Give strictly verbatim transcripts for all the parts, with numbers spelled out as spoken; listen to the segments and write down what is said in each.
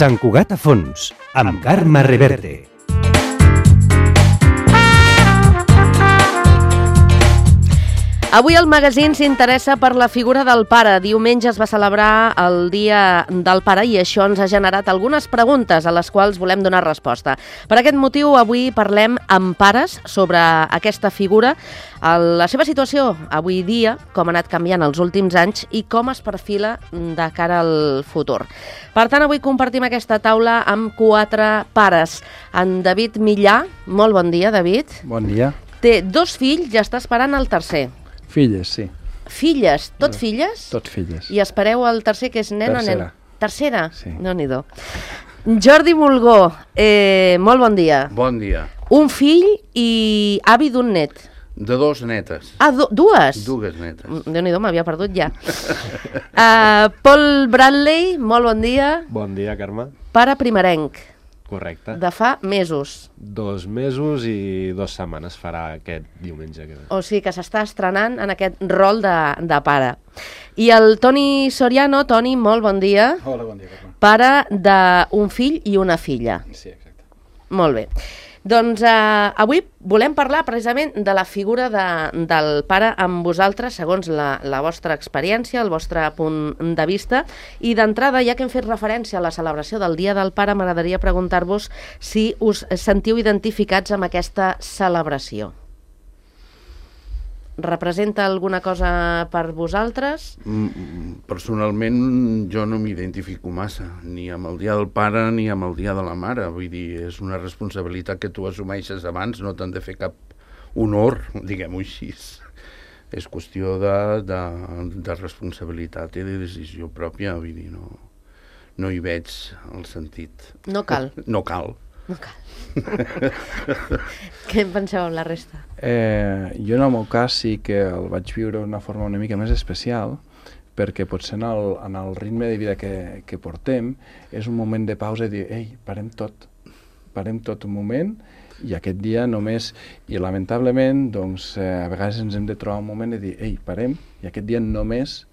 Sant Cugat a fons, amb Carme Reverte. Avui el magazín s'interessa per la figura del pare. Diumenge es va celebrar el Dia del Pare i això ens ha generat algunes preguntes a les quals volem donar resposta. Per aquest motiu, avui parlem amb pares sobre aquesta figura, la seva situació avui dia, com ha anat canviant els últims anys i com es perfila de cara al futur. Per tant, avui compartim aquesta taula amb quatre pares. En David Millà, molt bon dia, David. Bon dia. Té dos fills i està esperant el tercer. Filles, sí. Filles? Tot no, filles? Tot filles. I espereu el tercer, que és nen o nen? Tercera. Tercera? Sí. Déu-n'hi-do. Jordi Mulgó, eh, molt bon dia. Bon dia. Un fill i avi d'un net. De dos netes. Ah, du dues? Dues netes. Déu-n'hi-do, m'havia perdut ja. uh, Paul Bradley, molt bon dia. Bon dia, Carme. Pare primerenc. Correcte. De fa mesos. Dos mesos i dues setmanes farà aquest diumenge que ve. O sigui que s'està estrenant en aquest rol de, de pare. I el Toni Soriano. Toni, molt bon dia. Hola, bon dia, Carme. Pare d'un fill i una filla. Sí, exacte. Molt bé. Doncs eh, avui volem parlar precisament de la figura de, del pare amb vosaltres, segons la, la vostra experiència, el vostre punt de vista. I d'entrada, ja que hem fet referència a la celebració del Dia del Pare, m'agradaria preguntar-vos si us sentiu identificats amb aquesta celebració. Representa alguna cosa per vosaltres? Mm, personalment, jo no m'identifico massa, ni amb el Dia del Pare ni amb el Dia de la Mare. Vull dir, és una responsabilitat que tu assumeixes abans, no t'han de fer cap honor, diguem-ho així. És qüestió de, de, de responsabilitat i de decisió pròpia, vull dir, no, no hi veig el sentit. No cal. No cal. No cal. Què en penseu amb la resta? Eh, jo en el meu cas sí que el vaig viure d'una forma una mica més especial, perquè potser en el, en el ritme de vida que, que portem és un moment de pausa i dir, ei, parem tot, parem tot un moment, i aquest dia només, i lamentablement, doncs, eh, a vegades ens hem de trobar un moment de dir, ei, parem, i aquest dia només,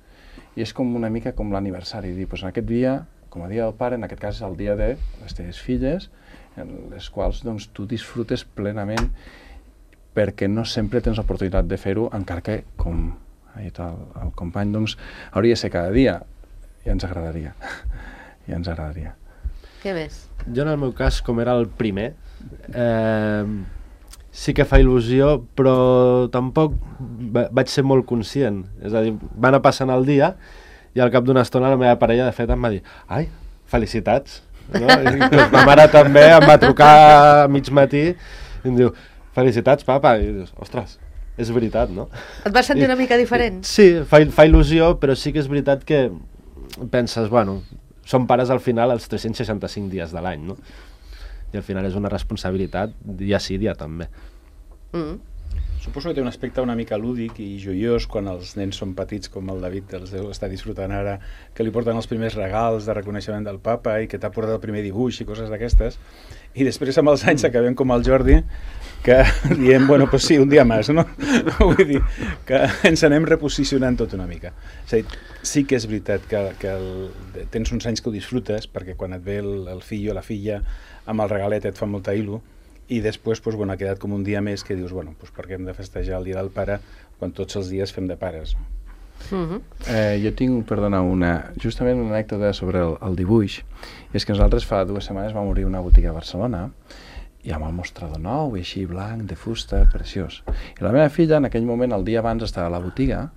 i és com una mica com l'aniversari, dir, doncs en aquest dia, com a dia del pare, en aquest cas és el dia de les teves filles, en les quals doncs, tu disfrutes plenament perquè no sempre tens l'oportunitat de fer-ho, encara que, com ha dit el, el company, doncs, hauria de ser cada dia. Ja ens agradaria. Ja ens agradaria. Què més? Jo, en el meu cas, com era el primer, eh, sí que fa il·lusió, però tampoc vaig ser molt conscient. És a dir, va anar passant el dia i al cap d'una estona la meva parella, de fet, em va dir «Ai, felicitats!» No? Ma mare també em va trucar a mig matí i em diu felicitats papa, i dius, ostres, és veritat, no? Et vas sentir I, una mica diferent? Sí, fa, fa il·lusió, però sí que és veritat que penses, bueno, som pares al final els tres-cents seixanta-cinc dies de l'any, no? I al final és una responsabilitat dia sí, dia també. Mm. Suposo que té un aspecte una mica lúdic i joiós quan els nens són petits, com el David els deu estar disfrutant ara, que li porten els primers regals de reconeixement del papa i que t'ha portat el primer dibuix i coses d'aquestes, i després amb els anys acabem com el Jordi, que diem, bueno, pues sí, un dia més, no? Vull dir, que ens anem reposicionant tot una mica. És a dir, sí que és veritat que, que el, tens uns anys que ho disfrutes, perquè quan et ve el, el fill o la filla amb el regalet et fa molta il·lu, i després pues, bueno, ha quedat com un dia més que dius, bueno, pues, per què hem de festejar el Dia del Pare quan tots els dies fem de pares? Uh-huh. eh, jo tinc, perdona, una, justament una anècdota sobre el, el dibuix. I és que nosaltres fa dues setmanes vam obrir una botiga a Barcelona i amb el mostrador nou i així blanc, de fusta, preciós. I la meva filla en aquell moment, el dia abans, estava a la botiga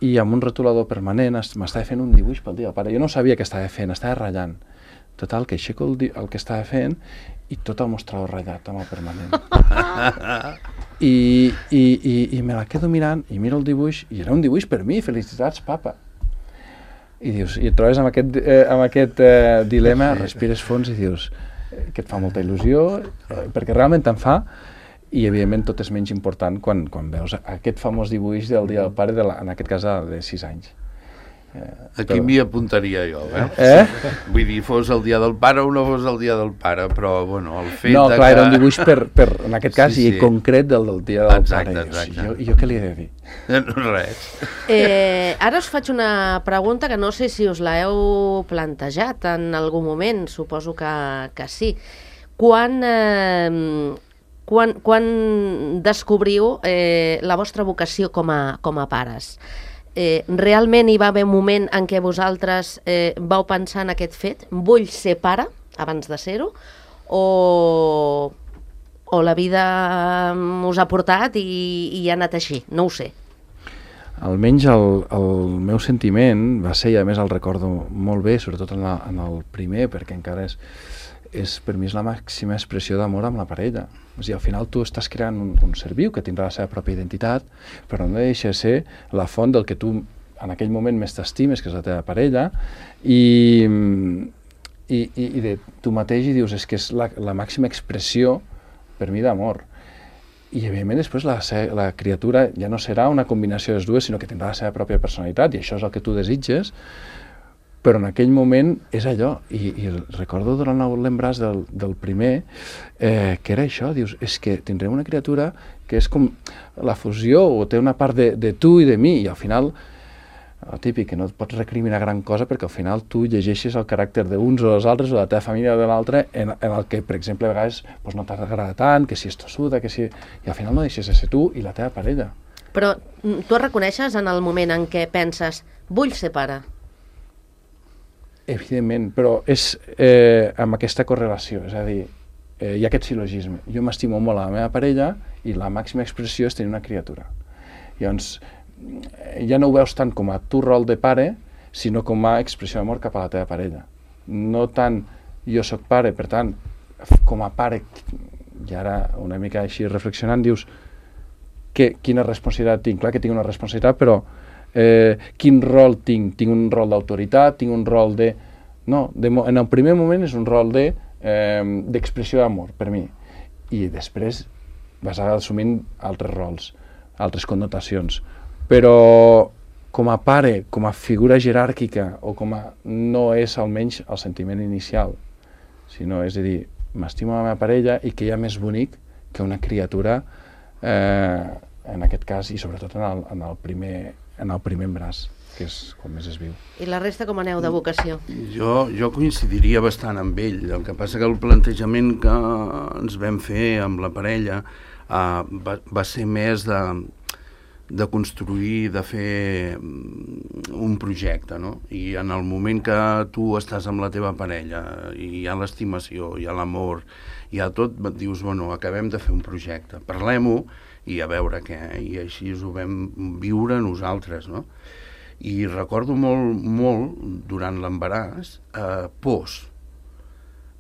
i amb un retolador permanent m'estava fent un dibuix pel Dia del Pare. Jo no sabia què estava fent, estava ratllant. Total, que aixeco el, el que estava fent i tot el mostrador ratllat amb el permanent. I, i, i, i me la quedo mirant i miro el dibuix i era un dibuix per mi, felicitats papa. I dius, i et trobes amb aquest, eh, amb aquest eh, dilema, respires fons i dius eh, que et fa molta il·lusió, eh, perquè realment te'n fa, i evidentment tot és menys important quan, quan veus aquest famós dibuix del Dia del Pare, de la, en aquest cas de sis anys. Aquí m'hi apuntaria jo, eh? Eh? Vull dir, fos el dia del pare o no fos el dia del pare, però, bueno, el fet No, de clar, que... era un dibuix per, per en aquest cas, Sí, i sí. concret del, del dia del Exacte, pare. exacte. Jo, jo què li he de dir? Res. Eh, ara us faig una pregunta que no sé si us l'heu plantejat en algun moment, suposo que, que sí. Quan, eh, quan, quan descobriu eh, la vostra vocació com a, com a pares? Eh, realment hi va haver un moment en què vosaltres eh, vau pensar en aquest fet? Vull ser pare abans de ser-ho? O, o la vida us ha portat i, i ha anat així? No ho sé. Almenys el, el meu sentiment va ser, i a més el recordo molt bé, sobretot en, la, en el primer, perquè encara és, és per mi és la màxima expressió d'amor amb la parella. O sigui, al final tu estàs creant un, un ser viu que tindrà la seva pròpia identitat, però no deixa de ser la font del que tu en aquell moment més t'estimes, que és la teva parella, i, i, i, i de tu mateix i dius, és que és la, la màxima expressió per mi d'amor. I evidentment després la, la criatura ja no serà una combinació de les dues, sinó que tindrà la seva pròpia personalitat, i això és el que tu desitges, però en aquell moment és allò, i, i recordo durant l'embràs del, del primer, eh, que era això, dius, és que tindrem una criatura que és com la fusió, o té una part de, de tu i de mi, i al final, el típic, que no et pots recriminar gran cosa, perquè al final tu llegeixes el caràcter d'uns o dels altres, o de la teva família o de l'altre, en, en el que, per exemple, a vegades doncs, no t'agrada tant, que si és tossuda, que si... I al final no deixes de ser tu i la teva parella. Però tu et reconeixes en el moment en què penses vull ser pare? Evidentment, però és eh, amb aquesta correlació, és a dir, eh, hi ha aquest silogisme. Jo m'estimo molt a la meva parella i la màxima expressió és tenir una criatura. Llavors, ja no ho veus tant com a tu rol de pare, sinó com a expressió d'amor cap a la teva parella. No tant jo sóc pare, per tant, com a pare, i ara una mica així reflexionant, dius, que, quina responsabilitat tinc? Clar que tinc una responsabilitat, però Eh, quin rol tinc? Tinc un rol d'autoritat, tinc un rol de... No, de, en el primer moment és un rol de, eh, d'expressió d'amor, per mi. I després vas assumint altres rols, altres connotacions. Però com a pare, com a figura jeràrquica, o com a... no és almenys el sentiment inicial, sinó, és a dir, m'estimo la meva parella i que hi ha més bonic que una criatura, eh, en aquest cas, i sobretot en el, en el primer... en el primer embràs, que és quan més es viu. I la resta com aneu de vocació? Jo, jo coincidiria bastant amb ell. El que passa que el plantejament que ens vam fer amb la parella uh, va, va ser més de, de construir, de fer un projecte, no? I en el moment que tu estàs amb la teva parella i hi ha l'estimació, hi ha l'amor, hi ha tot, et dius, bueno, acabem de fer un projecte, parlem-ho, i a veure què, i així ho vam viure nosaltres, no? I recordo molt, molt, durant l'embaràs, eh, pors,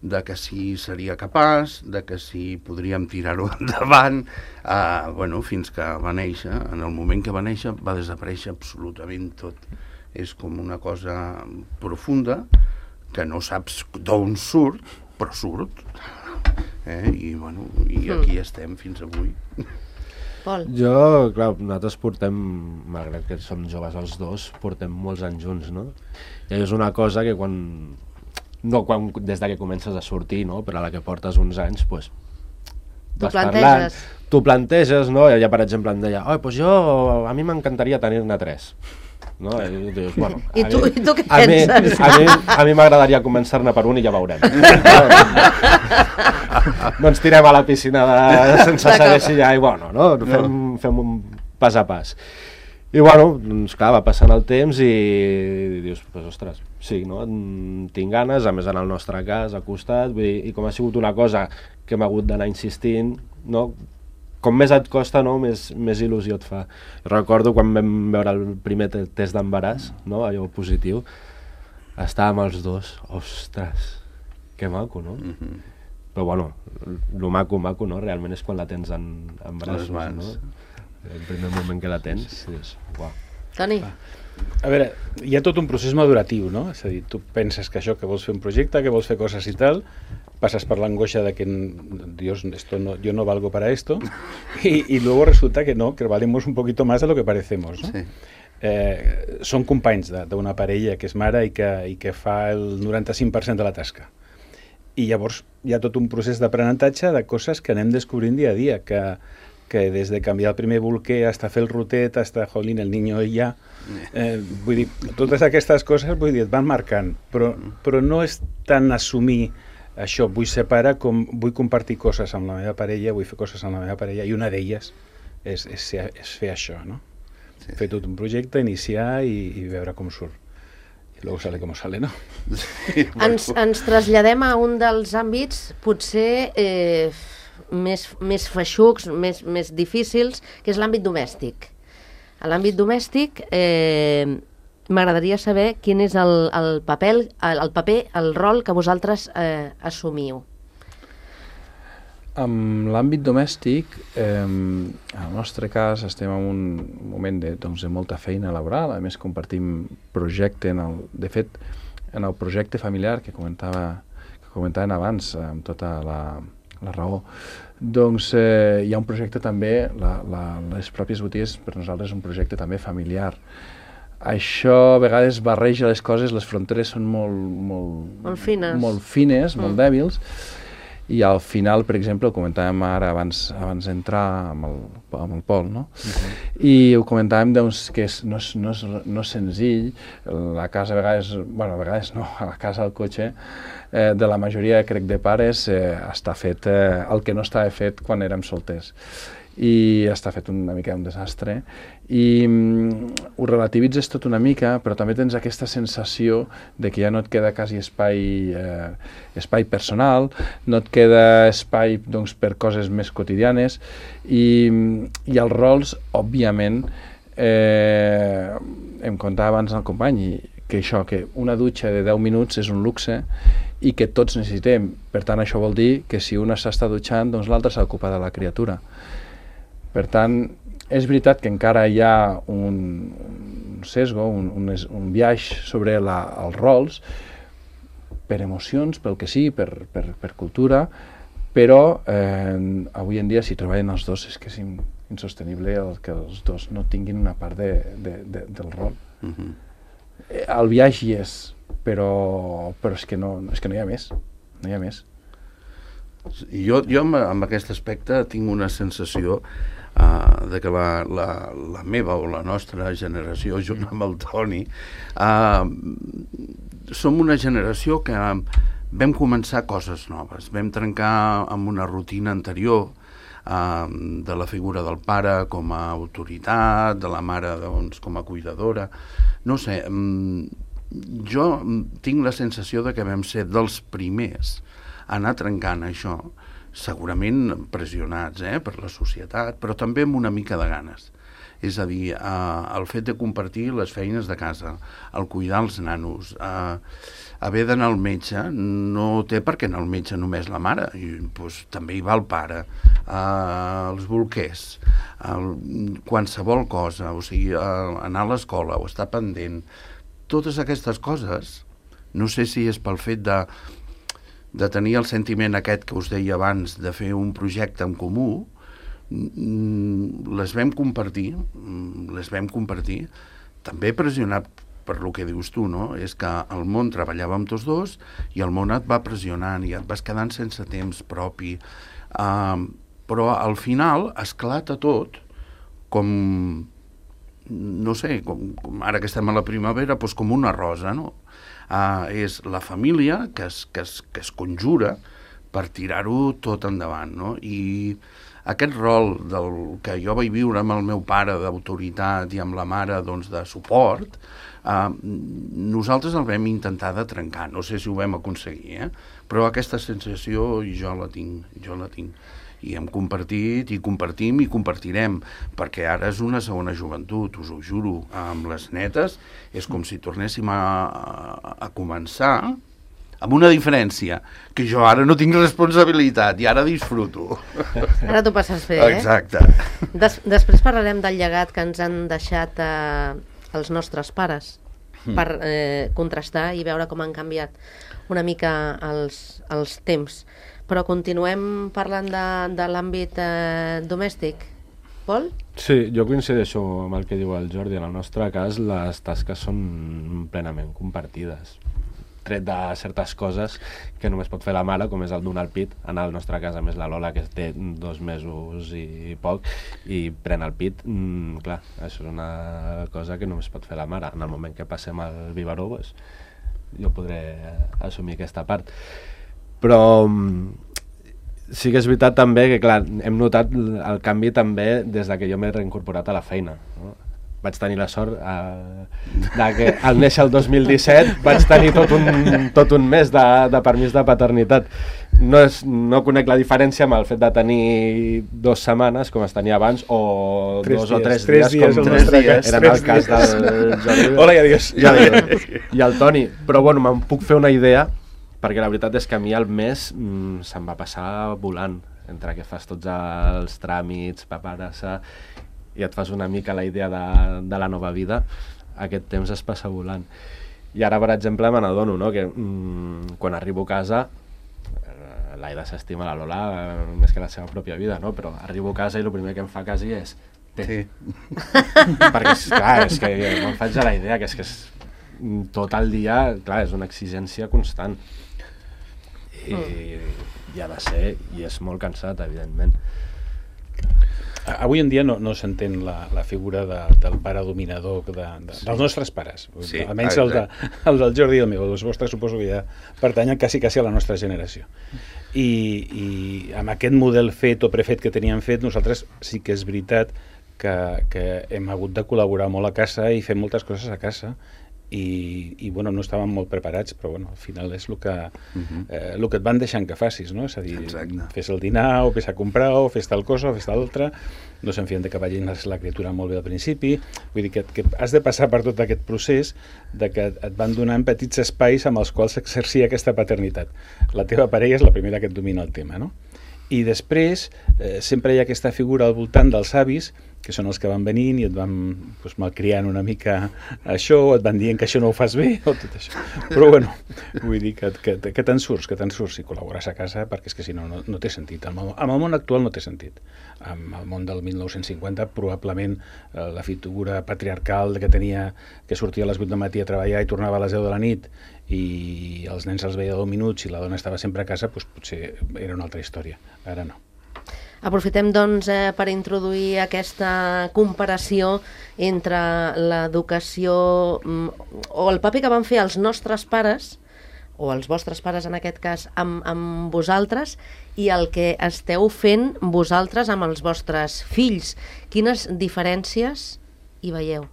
de que si seria capaç, de que si podríem tirar-ho endavant, eh, bueno, fins que va néixer. En el moment que va néixer va desaparèixer absolutament tot. És com una cosa profunda, que no saps d'on surt, però surt. Eh? I, bueno, i aquí estem fins avui. Pol? Jo, clar, nosaltres portem, malgrat que som joves els dos, portem molts anys junts, no? I és una cosa que quan... No quan, des de que comences a sortir, no? Però a la que portes uns anys, doncs... Tu planteges. Tu planteges, no? Ella, per exemple, em deia, oh, doncs jo, a mi m'encantaria tenir-ne tres. No? I, dius, bueno, I, tu, mi, I tu què a penses? Mi, a mi, a mi m'agradaria començar-ne per un i ja veurem. No ens tirem a la piscina de, sense saber si hi ha aigua o no, no? Fem, no. fem un pas a pas. I bueno, doncs clar, va passant el temps i, i dius, pues, ostres, sí, no? Tinc ganes, a més en el nostre cas, al costat, vull dir, i com ha sigut una cosa que hem hagut d'anar insistint, no? Com més et costa, no? més, més il·lusió et fa. Recordo quan vam veure el primer test d'embaràs, no? Allò positiu, estàvem els dos, ostres, que maco, no? Mm-hmm. Però bueno, el maco, maco, no? Realment és quan la tens en, en braços, no? El primer moment que la tens, és... Uau. Toni? A veure, hi ha tot un procés maduratiu, no? És a dir, tu penses que això, que vols fer un projecte, que vols fer coses i tal, pasas por la angoixa de que Dios, esto no, yo no valgo para esto, y, y luego resulta que no, que valemos un poquito más de lo que parecemos, ¿no? Sí. eh, són companys d'una parella que és mare i que, i que fa el noranta-cinc per cent de la tasca. I llavors hi ha tot un procés d'aprenentatge de coses que anem descobrint dia a dia, que, que des de canviar el primer bolquer fins a fer el rotet, fins a, jolín, el niño ja... Eh, vull dir, totes aquestes coses vull dir, et van marcant, però, però no és tan assumir això, vull separar com vull compartir coses amb la meva parella, vull fer coses amb la meva parella, i una d'elles és, és, és fer això, no? Sí. Fer tot un projecte, iniciar i, i veure com surt. I luego sale com sale, no? Sí, ens, ens traslladem a un dels àmbits potser eh, més, més feixucs, més, més difícils, que és l'àmbit domèstic. A l'àmbit domèstic eh, m'agradaria saber quin és el, el, paper, el, el paper, el rol que vosaltres eh, assumiu. En l'àmbit domèstic, eh, en el nostre cas estem en un moment de, doncs, de molta feina laboral, a més compartim projecte, en el, de fet, en el projecte familiar que comentava, que comentaven abans, amb tota la, la raó, doncs eh, hi ha un projecte també, la, la, les pròpies botigues per nosaltres és un projecte també familiar. Això a vegades barreja les coses, les fronteres són molt, molt, molt fines, molt, fines, mm. molt dèbils, i al final, per exemple, ho comentàvem ara abans, abans d'entrar amb, el, amb el Pol, no? Uh-huh. I ho comentàvem doncs, que és, no, és, no, és, no és senzill, la casa a vegades, bueno, a vegades no, a la casa, al cotxe, eh, de la majoria, crec, de pares, eh, està fet eh, el que no estava fet quan érem solters. I està fet una mica un desastre, i mm, ho relativitzes tot una mica, però també tens aquesta sensació de que ja no et queda quasi espai, eh, espai personal, no et queda espai doncs, per coses més quotidianes, i, i els rols, òbviament, eh, em contava abans el company, que això, que una dutxa de deu minuts és un luxe i que tots necessitem. Per tant, això vol dir que si una s'està dutxant, doncs l'altra s'ocupa de la criatura. Per tant, és veritat que encara hi ha un, un sesgo, un, un, un biaix sobre la, els rols, per emocions, pel que sí, per, per, per cultura, però eh, avui en dia si treballen els dos és que és insostenible el que els dos no tinguin una part de, de, de, del rol. Uh-huh. El biaix hi és, però, però és, que no, és que no hi ha més, no hi ha més. Jo, jo amb, amb aquest aspecte tinc una sensació Uh, de que la, la, la meva o la nostra generació, junt amb el Toni, uh, som una generació que vam començar coses noves, vam trencar amb una rutina anterior uh, de la figura del pare com a autoritat, de la mare doncs, com a cuidadora. No sé, um, jo tinc la sensació de que vam ser dels primers a anar trencant això, segurament pressionats eh, per la societat, però també amb una mica de ganes. És a dir, eh, el fet de compartir les feines de casa, el cuidar els nanos, eh, haver d'anar al metge, no té per què anar al metge només la mare, i, doncs, també hi va el pare, eh, els bolquers, el, qualsevol cosa, o sigui, eh, anar a l'escola o estar pendent, totes aquestes coses, no sé si és pel fet de de tenir el sentiment aquest que us deia abans de fer un projecte en comú, les vam compartir, les vam compartir, també pressionat per lo que dius tu, no? És que el món treballava amb tots dos i el món et va pressionant i et vas quedant sense temps propi. Uh, però al final esclata tot com, no sé, com, com ara que estem a la primavera, doncs com una rosa, no? Uh, és la família que es, que es, que es conjura per tirar-ho tot endavant, no? I aquest rol del que jo vaig viure amb el meu pare d'autoritat i amb la mare doncs, de suport, uh, nosaltres el vam intentar de trencar, no sé si ho vam aconseguir, eh? Però aquesta sensació jo la tinc, jo la tinc. I hem compartit, i compartim, i compartirem, perquè ara és una segona joventut, us ho juro, amb les netes, és com si tornéssim a, a, a començar, amb una diferència, que jo ara no tinc responsabilitat, i ara disfruto. Ara t'ho passes bé, eh? Exacte. Des, després parlarem del llegat que ens han deixat eh, els nostres pares, mm. per eh, contrastar i veure com han canviat una mica els, els temps. Però continuem parlant de, de l'àmbit eh, domèstic. Pol? Sí, jo coincideixo amb el que diu el Jordi. En el nostre cas, les tasques són plenament compartides. Tret de certes coses que només pot fer la mare, com és el donar el pit. En el nostre cas, a més, la Lola, que té dos mesos i poc, i pren el pit, mm, clar, això és una cosa que només pot fer la mare. En el moment que passem al biberó, pues, jo podré assumir aquesta part. Però sí que és veritat també que, clar, hem notat el canvi també des de que jo m'he reincorporat a la feina, no? Vaig tenir la sort eh, de que al néixer el dos mil disset vaig tenir tot un, tot un mes de, de permís de paternitat. No, és, no conec la diferència amb el fet de tenir dues setmanes, com es tenia abans, o tres dos dies, o tres, tres dies, dies, com tres dies, eren tres el cas dies. del Jordi. Hola i adiós. I el, i el Toni. Però bueno, me'n puc fer una idea, perquè la veritat és que a mi el mes mm, se'm va passar volant, entre que fas tots els tràmits, paperassa, i et fas una mica la idea de, de la nova vida, aquest temps es passa volant. I ara, per exemple, me n'adono, no?, que mm, quan arribo a casa, eh, l'Aida s'estima la Lola eh, més que la seva pròpia vida, no?, però arribo a casa i el primer que em fa quasi és té. Sí. Perquè, és, clar, és que me'n faig a la idea que és que és, tot el dia, clar, és una exigència constant. I, i ha de ser, i és molt cansat, evidentment. Avui en dia no, no s'entén la, la figura de, del pare dominador de, de, sí. dels nostres pares. Sí, almenys el, de, el del Jordi i el meu. Els vostres suposo que ja pertanyen quasi, quasi a la nostra generació. I, i amb aquest model fet o prefet que teníem fet, nosaltres sí que és veritat que, que hem hagut de col·laborar molt a casa i fer moltes coses a casa. I, i bueno, no estàvem molt preparats, però bueno, al final és el que, uh-huh. eh, el que et van deixant que facis, no? És a dir, exacte. Fes el dinar, o fes a comprar, o fes tal cosa, o fes tal altra, no se'n fien de que vagin la criatura molt bé al principi, vull dir que, que has de passar per tot aquest procés de que et van donant petits espais amb els quals s'exercia aquesta paternitat. La teva parella és la primera que et domina el tema, no? I després eh, sempre hi ha aquesta figura al voltant dels avis, que són els que van venint i et van pues, malcriant una mica això, o et van dient que això no ho fas bé, o tot això. Però bueno, vull dir que, que, que te'n surts, que te'n surts i col·laboraràs a casa, perquè és que si no, no, no té sentit. Amb el, amb el món actual no té sentit. Amb el món del mil nou-cents cinquanta, probablement eh, la figura patriarcal que tenia, que sortia a les vuit del matí a treballar i tornava a les deu de la nit, i els nens els veia deu minuts i la dona estava sempre a casa, doncs potser era una altra història. Ara no. Aprofitem, doncs, eh, per introduir aquesta comparació entre l'educació mm, o el paper que van fer els nostres pares, o els vostres pares en aquest cas, amb, amb vosaltres, i el que esteu fent vosaltres amb els vostres fills. Quines diferències hi veieu?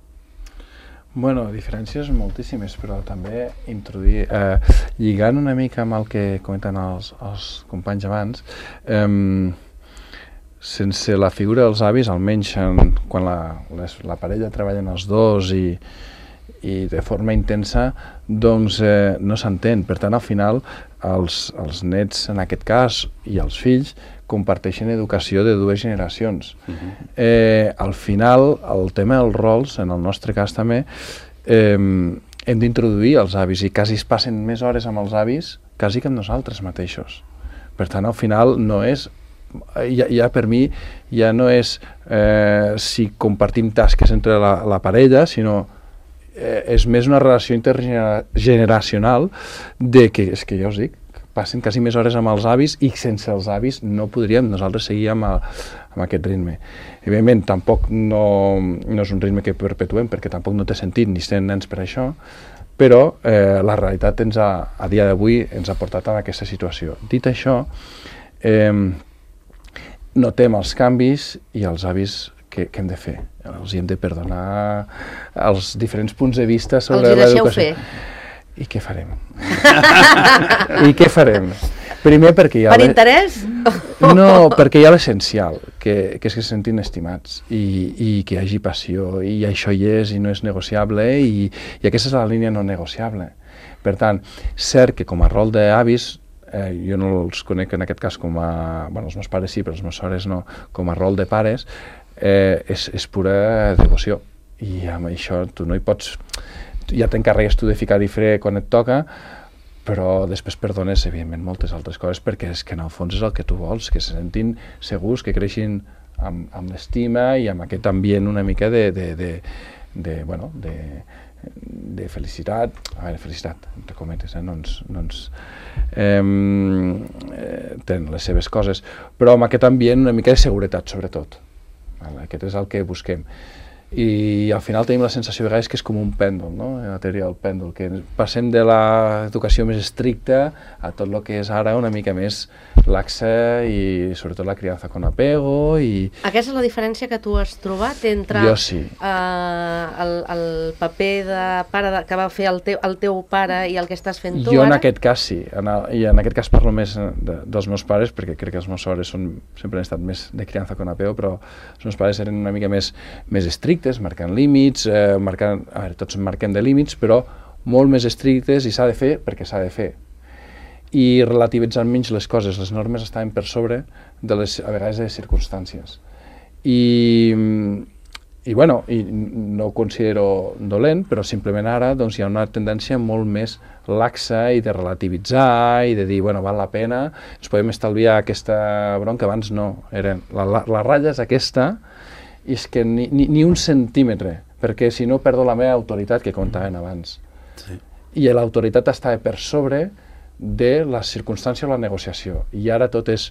Bueno, diferències moltíssimes, però també introduir, eh, lligant una mica amb el que comenten els, els companys abans, eh, sense la figura dels avis, almenys en, quan la, les, la parella treballen els dos i, i de forma intensa, doncs eh, no s'entén. Per tant, al final, els, els nets, en aquest cas, i els fills, comparteixen educació de dues generacions. Uh-huh. eh, al final, el tema dels rols, en el nostre cas també, eh, hem d'introduir els avis, i quasi es passen més hores amb els avis quasi que amb nosaltres mateixos. Per tant, al final, no és Ja, ja per mi ja no és eh, si compartim tasques entre la, la parella, sinó eh, és més una relació intergeneracional de que, és que ja us dic, passen quasi més hores amb els avis i sense els avis no podríem nosaltres seguir amb, el, amb aquest ritme. Evidentment, tampoc no, no és un ritme que perpetuem, perquè tampoc no té sentit ni ser nens per això, però eh, la realitat ens ha, a dia d'avui ens ha portat a aquesta situació. Dit això, eh, notem els canvis i els avis que, que hem de fer. Els hem de perdonar els diferents punts de vista sobre l'educació. I què farem? I què farem? Primer perquè hi ha... Per interès? No, perquè hi ha l'essencial, que, que és que se sentin estimats i, i que hi hagi passió, i això hi és i no és negociable, i, i aquesta és la línia no negociable. Per tant, cert que com a rol d'avis, Eh, jo no els conec en aquest cas com a... Bueno, els meus pares sí, però els meus sores no, com a rol de pares, eh, és, és pura devoció. I amb això tu no hi pots... Ja t'encarregues tu de ficar i fre quan et toca, però després perdones, evidentment, moltes altres coses, perquè és que en el fons és el que tu vols, que se sentin segurs, que creixin amb, amb l'estima i amb aquest ambient una mica de, de, de, de, bueno, de, de felicitat, a veure, felicitat, entre cometes, eh? no ens, no ens eh, eh, tenen les seves coses, però amb aquest ambient una mica de seguretat, sobretot. Aquest és el que busquem. I al final tenim la sensació de vegades que és com un pèndol, no? La teoria del pèndol, que passem de l'educació més estricta a tot el que és ara una mica més laxa i sobretot la criança con apego. I... Aquesta és la diferència que tu has trobat entre jo sí. uh, el, el paper de pare de, que va fer el teu, el teu pare i el que estàs fent tu jo ara? En aquest cas sí, en el, i en aquest cas parlo més de, dels meus pares, perquè crec que els meus pares són, sempre han estat més de criança con apego, però els meus pares eren una mica més, més estrictes, marcant límits, eh, marcant, a veure, tots marquem de límits, però molt més estrictes i s'ha de fer perquè s'ha de fer. I relativitzant menys les coses, les normes estaven per sobre de les, a vegades, de les circumstàncies. I, i bueno, i no ho considero dolent, però simplement ara doncs, hi ha una tendència molt més laxa i de relativitzar i de dir, bueno, val la pena, ens podem estalviar aquesta bronca, abans no, eren, la, la, la ratlla és aquesta, i és que ni, ni, ni un centímetre, perquè si no perdo la meva autoritat que contaven abans. Sí. I l'autoritat estava per sobre de la circumstància o la negociació, i ara tot és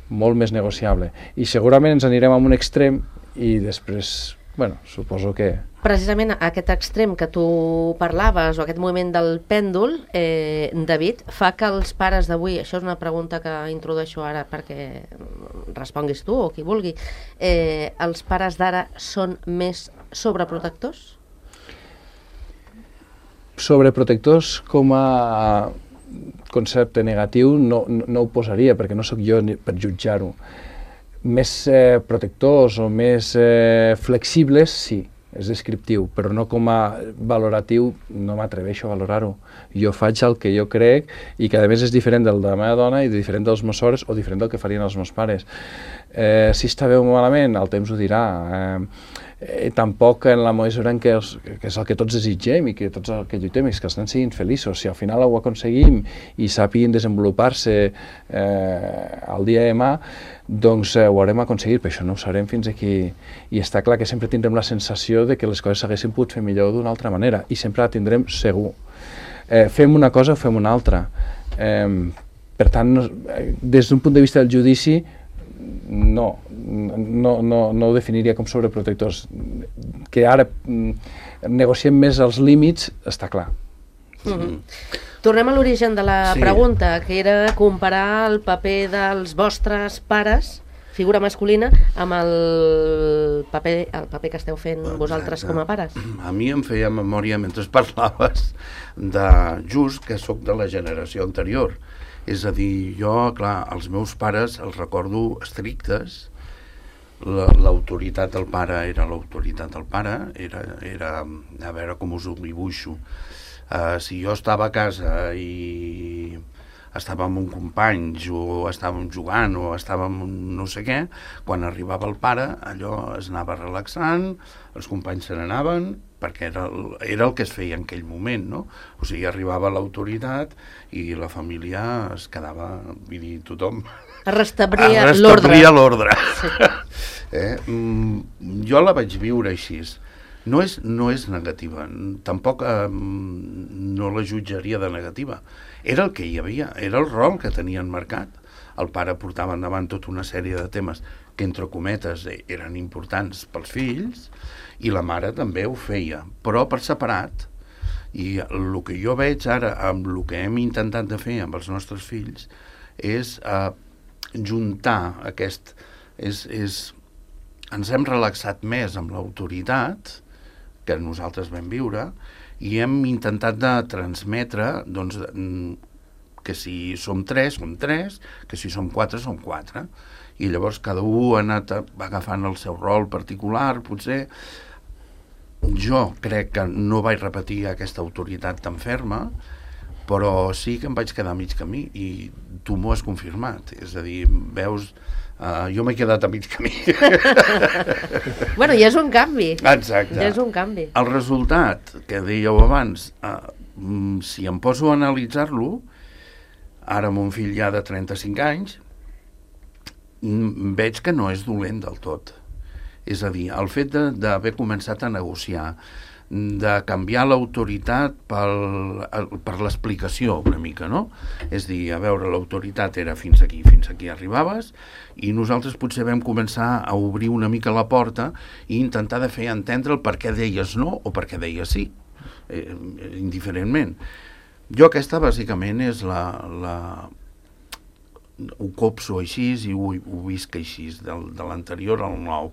molt més negociable. I segurament ens anirem a un extrem i després, bueno, suposo que... Precisament aquest extrem que tu parlaves, o aquest moviment del pèndol, eh, David, fa que els pares d'avui, això és una pregunta que introdueixo ara perquè responguis tu o qui vulgui, eh, els pares d'ara són més sobreprotectors? Sobreprotectors com a concepte negatiu no, no, no ho posaria, perquè no sóc jo ni per jutjar-ho. Més eh, protectors o més eh, flexibles, sí, és descriptiu, però no com a valoratiu, no m'atreveixo a valorar-ho. Jo faig el que jo crec i que a més és diferent del de la meva dona i diferent dels meus sogres o diferent del que farien els meus pares. Eh, si està bé o malament, el temps ho dirà. Eh, Eh, tampoc en la mesura en què, els, que és el que tots desitgem i que tots el que lluitem és que els nens siguin feliços. Si al final ho aconseguim i sàpiguin desenvolupar-se eh, el dia de demà, doncs eh, ho haurem aconseguit, però això no ho sabrem fins aquí. I està clar que sempre tindrem la sensació de que les coses s'haguessin pogut fer millor d'una altra manera, i sempre la tindrem segur. Eh, fem una cosa o fem una altra. Eh, per tant, no, des d'un punt de vista del judici, no, no, no, no ho definiria com sobreprotectors. Que ara mm, negociem més els límits, està clar. Mm-hmm. Tornem a l'origen de la sí. pregunta, que era comparar el paper dels vostres pares, figura masculina, amb el paper, el paper que esteu fent vosaltres com a pares. A mi em feia memòria, mentre parlaves, de just que sóc de la generació anterior. És a dir, jo, clar, els meus pares els recordo estrictes, l'autoritat del pare era l'autoritat del pare, era, era, a veure com us ho dibuixo, uh, si jo estava a casa i estàvem amb companys o estàvem jugant o estàvem no sé què, quan arribava el pare allò es anava relaxant, els companys se n'anaven, perquè era el, era el que es feia en aquell moment, no? O sigui, arribava l'autoritat i la família es quedava, vull dir, tothom... Es restablia l'ordre. Es restablia l'ordre. Sí. eh? mm, jo la vaig viure així. No és, no és negativa, tampoc eh, no la jutjaria de negativa. Era el que hi havia, era el rol que tenien marcat. El pare portava endavant tota una sèrie de temes que, entre cometes, eren importants pels fills, i la mare també ho feia, però per separat. I el que jo veig ara, amb el que hem intentat de fer amb els nostres fills, és eh, juntar aquest... És, és, ens hem relaxat més amb l'autoritat que nosaltres vam viure i hem intentat de transmetre doncs, que si som tres, som tres, que si som quatre, som quatre. I llavors cada un ha anat agafant el seu rol particular, potser. Jo crec que no vaig repetir aquesta autoritat tan ferma, però sí que em vaig quedar a mig camí i tu m'ho has confirmat. És a dir, veus, uh, jo m'he quedat a mig camí. Bueno, ja és un canvi. Exacte. Ja és un canvi. El resultat, que dèieu abans, uh, si em poso a analitzar-lo, ara mon fill ja de trenta-cinc anys, veig que no és dolent del tot. És a dir, el fet d'haver començat a negociar, de canviar l'autoritat pel, per l'explicació una mica, no? És dir, a veure, l'autoritat era fins aquí, fins aquí arribaves, i nosaltres potser vam començar a obrir una mica la porta i intentar de fer entendre el per què deies no o per què deies sí, eh, indiferentment. Jo aquesta, bàsicament, és la... la ho copso així i ho, ho visc així, del, de l'anterior al nou.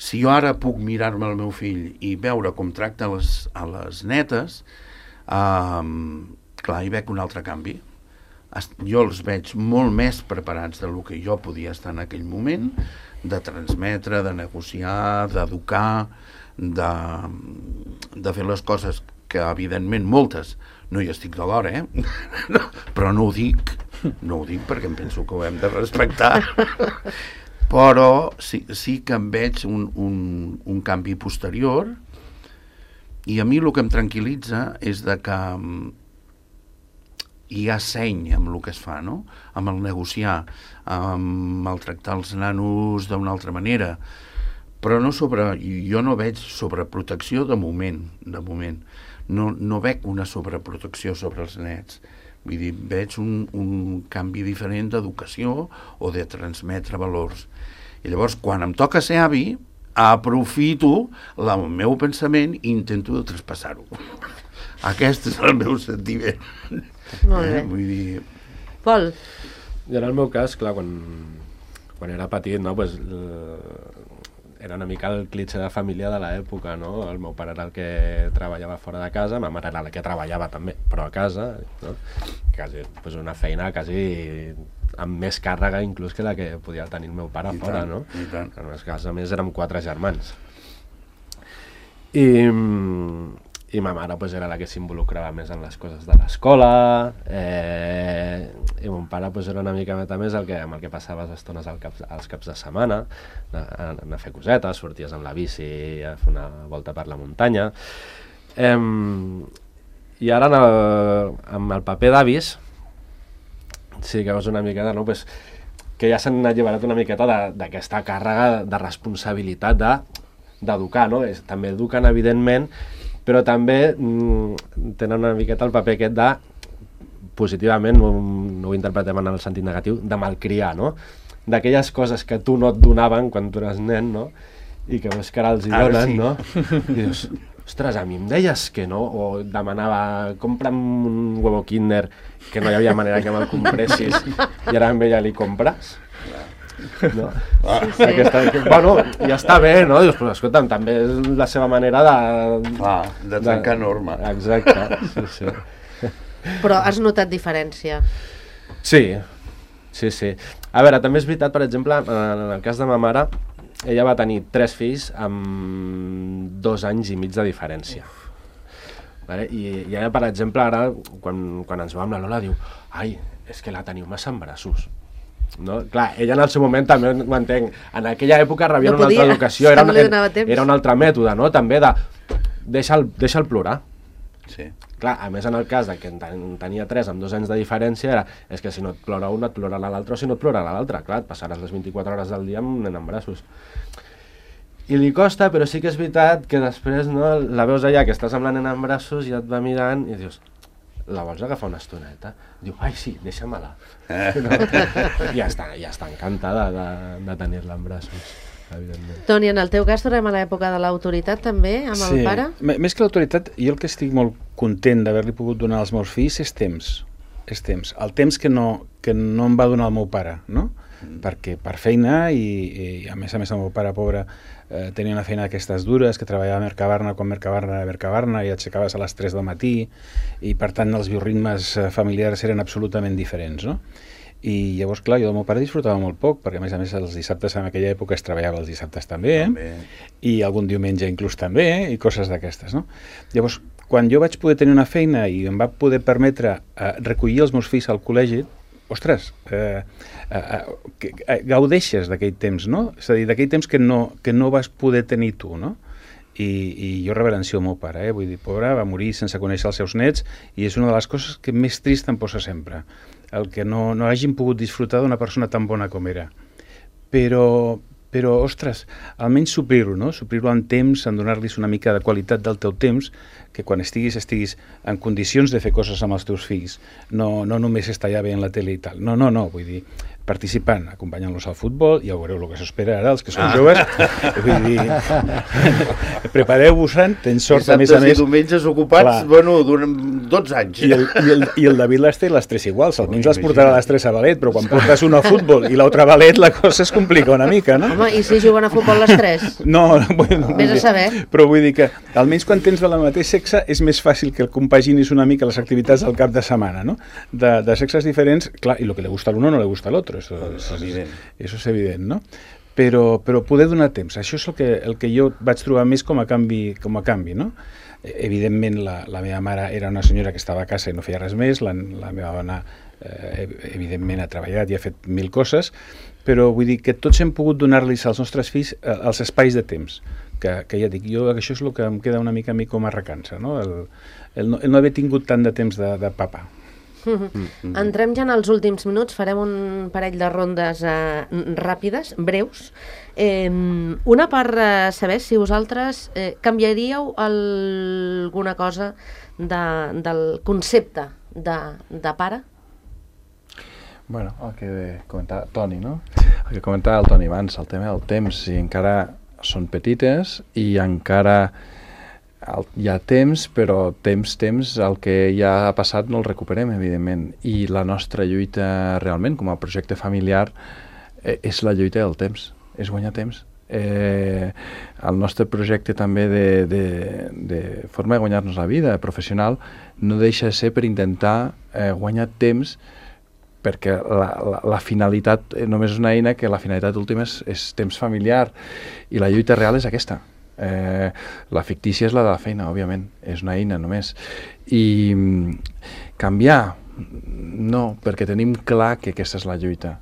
Si jo ara puc mirar-me el meu fill i veure com tracta les, a les netes, eh, clar, hi veig un altre canvi. Jo els veig molt més preparats del que jo podia estar en aquell moment, de transmetre, de negociar, d'educar, de, de fer les coses que, evidentment, moltes no hi estic de l'hora, eh? Però no ho dic, no ho dic perquè em penso que ho hem de respectar. Però sí, sí que em veig un, un, un canvi posterior, i a mi el que em tranquil·litza és de que hi ha seny amb el que es fa, no? Amb el negociar, amb el tractar els nanos d'una altra manera, però no sobre, jo no veig sobreprotecció de moment, de moment. No, no veig una sobreprotecció sobre els nets. Vull dir, veig un, un canvi diferent d'educació o de transmetre valors. I llavors, quan em toca ser avi, aprofito el meu pensament i intento de traspassar-ho. Aquest és el meu sentiment. Molt bé. Eh? Vull dir... Pol? I en el meu cas, clar, quan, quan era petit, no, pues, eh, era una mica el clitxé de família de l'època, no? El meu pare era el que treballava fora de casa, ma mare era la que treballava també, però a casa, no? Quasi, pues una feina quasi amb més càrrega inclús que la que podia tenir el meu pare I fora, tant, no? I tant. En el cas, a més, érem quatre germans. I, i ma mare pues, era la que s'involucrava més en les coses de l'escola, eh, i mon pare pues, era una mica més el que, amb el que passava les estones al cap, als caps de setmana, a, a, a fer cosetes, sorties amb la bici a fer una volta per la muntanya. Eh, I ara en el, amb el paper d'avis, sí que és una miqueta, no? Pues, que ja s'han alliberat una miqueta d'aquesta càrrega de responsabilitat de, d'educar, no? És, també eduquen, evidentment, però també mm, tenen una miqueta el paper aquest de, positivament, no, no ho interpretem en el sentit negatiu, de malcriar, no? D'aquelles coses que tu no et donaven quan tu eres nen, no? I que veus que ara els hi donen, sí. No? I dius, ostres, a mi em deies que no, o demanava, compra'm un huevo Kinder, que no hi havia manera que me'l compressis, i ara amb ella li compres? No? Ah. Sí, sí. Aquesta, bueno, ja està bé, no? Dius, però escolta'm, també és la seva manera de... Clar, de trencar de... norma. Exacte, sí, sí. Però has notat diferència? Sí, sí, sí. A veure, també és veritat, per exemple, en el cas de ma mare, ella va tenir tres fills amb dos anys i mig de diferència. Vale? I, I ella, per exemple, ara, quan, quan ens va amb la Lola, diu, ai, és que la teniu massa en braços. No? Clar, ella en el seu moment també ho entenc, en aquella època rebia no una podia, altra educació, era, no era, era un altre mètode, no? També de deixa'l deixa plorar. Sí. Clar, a més en el cas de que en tenia tres amb dos anys de diferència era, és que si no et plora un et plorarà l'altre, o si no et plorarà l'altre, clar, et passaràs les vint-i-quatre hores del dia amb un nen en braços. I li costa, però sí que és veritat que després, no, la veus allà que estàs amb la nena en braços i et va mirant i dius, la vols agafar una estoneta? Diu, ai sí, deixa-me-la. Eh. No? Ja està, ja està encantada de, de tenir-la en braços, evidentment. Toni, en el teu cas tornem a l'època de l'autoritat també, amb sí. el pare? M més que l'autoritat, jo el que estic molt content d'haver-li pogut donar als meus fills és temps. És temps. El temps que no, que no em va donar el meu pare, no? Mm. Perquè per feina i, i a més a més el meu pare, pobre, eh, tenia una feina d'aquestes dures, que treballava a Mercabarna quan Mercabarna era Mercabarna i aixecaves a les tres del matí i per tant els bioritmes familiars eren absolutament diferents, no? I llavors, clar, jo del meu pare disfrutava molt poc, perquè a més a més els dissabtes en aquella època es treballava els dissabtes també, també. I algun diumenge inclús també, i coses d'aquestes, no? Llavors, quan jo vaig poder tenir una feina i em va poder permetre eh, recollir els meus fills al col·legi, ostres, eh, eh, que, eh, gaudeixes d'aquell temps, no? És a dir, d'aquell temps que no, que no vas poder tenir tu, no? I, i jo reverencio el meu pare, eh? Vull dir, pobre, va morir sense conèixer els seus nets i és una de les coses que més trist em posa sempre, el que no, no hagin pogut disfrutar d'una persona tan bona com era. però, però ostres, almenys suplir-ho, no? Suplir-ho en temps, en donar-los una mica de qualitat del teu temps, que quan estiguis, estiguis en condicions de fer coses amb els teus fills, no, no només estar ja veient la tele i tal. No, no, no, vull dir, participant, acompanyant-los al futbol, ja veureu el que s'espera ara, els que són ah. joves. Vull dir, prepareu-vos-en, tens sort, a més a més... I diumenges ocupats, clar, bueno, durant dotze anys. I el, i el, i el David les té les tres iguals, almenys les portarà les tres a ballet, però quan portes una a futbol i l'altra a ballet, la cosa es complica una mica, no? Home, i si juguen a futbol les tres? No, bueno, vés a saber. Però vull dir que, almenys quan tens de la mateix sexe, és més fàcil que el compaginis una mica les activitats del cap de setmana, no? De, de sexes diferents, clar, i el que li gusta a l'uno no li gusta a l'altre. Eso, eso, eso és evident, no? Però, però poder donar temps, això és el que, el que jo vaig trobar més com a canvi, com a canvi, no? Evidentment la, la meva mare era una senyora que estava a casa i no feia res més, la, la meva dona eh, evidentment ha treballat i ha fet mil coses, però vull dir que tots hem pogut donar-los als nostres fills eh, els espais de temps, que, que ja dic, jo això és el que em queda una mica a mi com a recança, no? El, el, no, el no haver tingut tant de temps de, de papa. Mm-hmm. Entrem ja en els últims minuts, farem un parell de rondes eh, ràpides, breus. Eh, una per eh, saber si vosaltres eh, canviaríeu alguna cosa de, del concepte de, de pare? Bueno, el que comentava Toni, no? El que comentava el Toni abans, el tema del temps, si encara són petites i encara hi ha temps, però temps, temps, el que ja ha passat no el recuperem, evidentment. I la nostra lluita realment, com a projecte familiar, eh, és la lluita del temps, és guanyar temps. Eh, el nostre projecte també de, de, de forma de guanyar-nos la vida professional no deixa de ser per intentar eh, guanyar temps, perquè la, la, la finalitat només és una eina que la finalitat última és, és temps familiar, i la lluita real és aquesta. Eh, la fictícia és la de la feina, òbviament, és una eina només. I canviar, no, perquè tenim clar que aquesta és la lluita,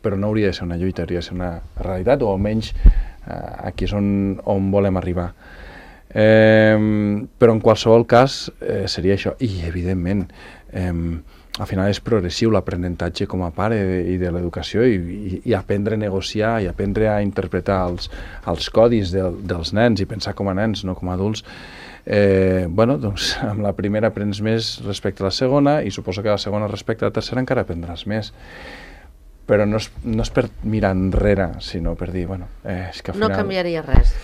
però no hauria de ser una lluita, hauria de ser una realitat, o almenys eh, aquí és on, on volem arribar. Eh, però en qualsevol cas eh, seria això, i evidentment eh, al final és progressiu l'aprenentatge com a pare i de l'educació, i, i, i aprendre a negociar i aprendre a interpretar els, els codis de, dels nens i pensar com a nens, no com a adults. Eh, bueno, doncs amb la primera aprens més respecte a la segona, i suposo que la segona respecte a la tercera encara aprendràs més. Però no és, no és per mirar enrere, sinó per dir, bueno, eh, és que al final... No canviaria res.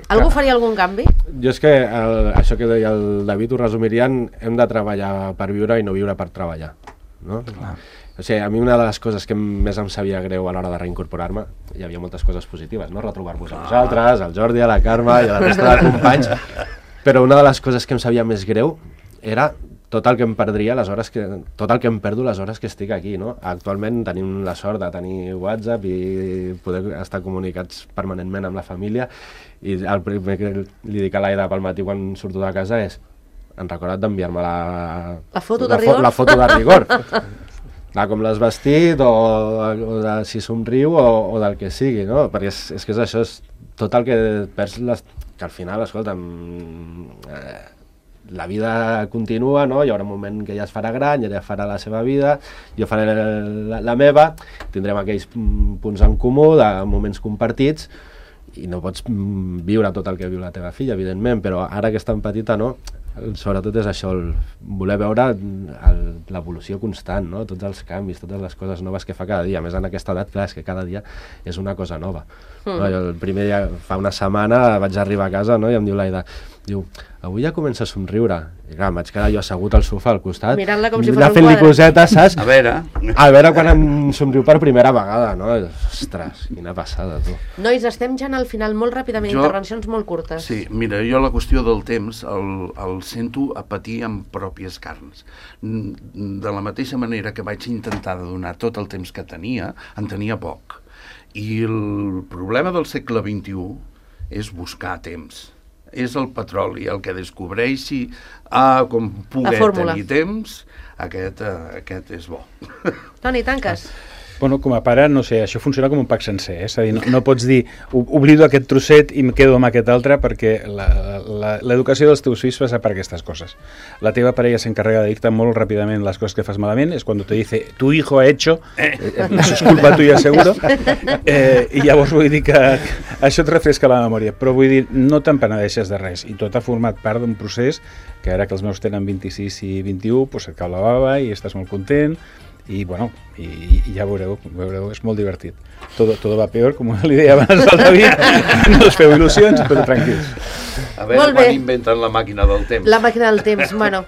Algú faria algun canvi? Jo és que el, això que deia el David ho resumirien, hem de treballar per viure i no viure per treballar, no? Clar. O sigui, a mi una de les coses que més em sabia greu a l'hora de reincorporar-me, hi havia moltes coses positives, no? Retrobar-vos a vosaltres, al Jordi, a la Carme i a la resta de companys, però una de les coses que em sabia més greu era tot el que em perdria, les hores que, tot el que em perdo les hores que estic aquí, no? Actualment tenim la sort de tenir WhatsApp i poder estar comunicats permanentment amb la família, i el primer que li dic a l'Aida pel matí quan surto de casa és: han recordat d'enviar-me la... La foto la de rigor? Fo, la foto de rigor. De com l'has vestit, o, o de si somriu, o, o del que sigui, no? Perquè és, és que és això, és tot el que perds, les, que al final, escolta'm... Eh, la vida continua, no? Hi haurà un moment que ja es farà gran, ja farà la seva vida, jo faré la, la meva, tindrem aquells punts en comú, de moments compartits, i no pots viure tot el que viu la teva filla, evidentment, però ara que és tan petita, no? Sobretot és això, el voler veure l'evolució constant, no? Tots els canvis, totes les coses noves que fa cada dia. A més, en aquesta edat, clar, és que cada dia és una cosa nova. Mm. No? Jo el primer dia, fa una setmana, vaig arribar a casa, no? I em diu l'Aida, diu, avui ja comença a somriure. I clar, em vaig quedar jo assegut al sofà al costat, mirant-la com si fos un fent-li quadre. cosetes, saps? A veure... A veure quan em somriu per primera vegada, no? Ostres, quina passada, tu. Nois, estem ja al final, molt ràpidament, Jo- intervencions molt curtes. Sí, mira, jo la qüestió del temps el, el sento a patir amb pròpies carns. Mm, De la mateixa manera que vaig intentar de donar tot el temps que tenia, en tenia poc. I el problema del segle vint-i-u és buscar temps. És el petroli el que descobreixi, ah, com La poder fórmula. tenir temps, aquest, eh, aquest és bo. Toni, tanques. Bueno, com a pare, no sé, això funciona com un pack sencer, eh? És a dir, no, no pots dir oblido aquest trosset i em quedo amb aquest altre, perquè l'educació dels teus fills passa per aquestes coses. La teva parella s'encarrega de dir-te molt ràpidament les coses que fas malament, és quan te dice, tu hijo ha hecho, eh, això és culpa tuya seguro, eh, i llavors vull dir que això et refresca la memòria, però vull dir, no te'n penedeixes de res, i tot ha format part d'un procés que ara que els meus tenen vint-i-sis i vint-i-u, doncs et cau la bava i estàs molt content, i bueno, i, i ja veureu, veureu, és molt divertit. Todo, todo va peor, com li deia abans al David, no us feu il·lusions, però tranquils. A veure quan inventen la màquina del temps. La màquina del temps, bueno,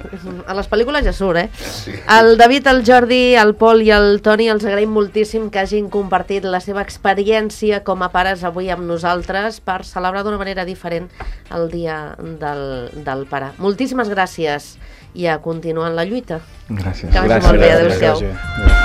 a les pel·lícules ja surt, eh? Sí. El David, el Jordi, el Pol i el Toni, els agraïm moltíssim que hagin compartit la seva experiència com a pares avui amb nosaltres per celebrar d'una manera diferent el dia del, del pare. Moltíssimes gràcies i a continuar en la lluita. Gràcies. Que vagi molt bé, adéu-siau. Gràcies.